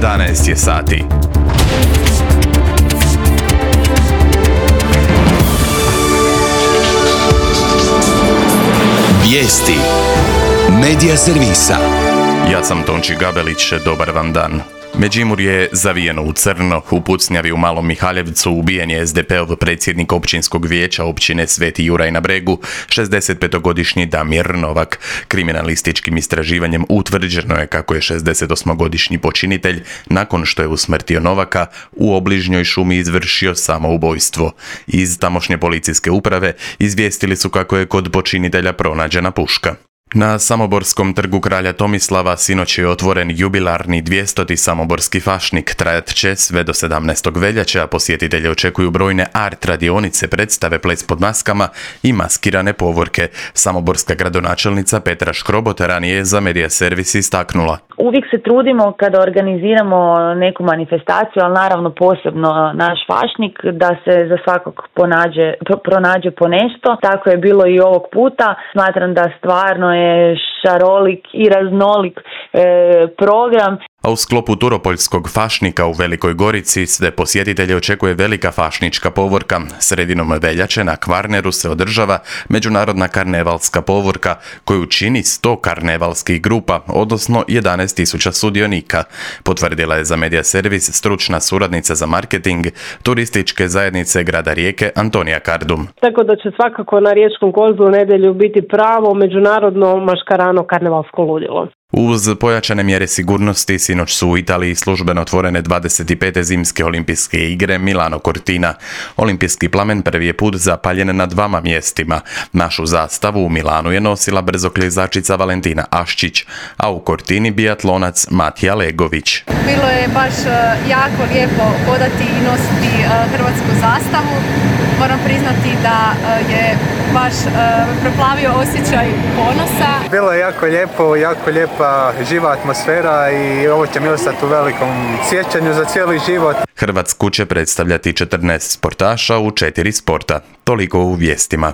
11 je sati. Vijesti Medija servisa. Ja sam Tonči Gabelić, dobar vam dan. Međimurje je zavijeno u crno. U pucnjavi u Malom Mihaljevcu ubijen je SDP-ov predsjednik općinskog vijeća općine Sveti Juraj na Bregu, 65-godišnji Damir Novak. Kriminalističkim istraživanjem utvrđeno je kako je 68-godišnji počinitelj, nakon što je usmrtio Novaka, u obližnjoj šumi izvršio samoubojstvo. Iz tamošnje policijske uprave izvijestili su kako je kod počinitelja pronađena puška. Na Samoborskom trgu kralja Tomislava sinoć je otvoren jubilarni 200. samoborski fašnik. Trajat će sve do 17. veljače, a posjetitelje očekuju brojne art radionice, predstave, ples pod maskama i maskirane povorke. Samoborska gradonačelnica Petra Škrobot ranije je za Medija servis istaknula. Uvijek se trudimo kada organiziramo neku manifestaciju, ali naravno posebno naš fašnik, da se za svakog pronađe po nešto. Tako je bilo i ovog puta. Smatram da stvarno je šarolik i raznolik program. A u sklopu Turopoljskog fašnika u Velikoj Gorici sve posjetitelje očekuje velika fašnička povorka. Sredinom veljače na Kvarneru se održava međunarodna karnevalska povorka koju čini 100 karnevalskih grupa, odnosno 11.000 sudionika, potvrdila je za Medija servis stručna suradnica za marketing turističke zajednice grada Rijeke Antonija Kardum. Tako da će svakako na Riječkom kozlu u nedjelju biti pravo međunarodno maškarano karnevalsko ludilo. Uz pojačane mjere sigurnosti, sinoć su u Italiji službeno otvorene 25. zimske olimpijske igre Milano Cortina. Olimpijski plamen prvi je put zapaljen na 2 mjestima. Našu zastavu u Milanu je nosila brzoklizačica Valentina Aščić, a u Cortini biatlonac Matija Legović. Bilo je baš jako lijepo hodati i nositi hrvatsku zastavu. Moram priznati da je baš preplavio osjećaj ponosa. Bilo je jako lijepa živa atmosfera i ovo će mi ostati u velikom sjećanju za cijeli život. Hrvatsku će predstavljati 14 sportaša u 4 sporta. Toliko u vijestima.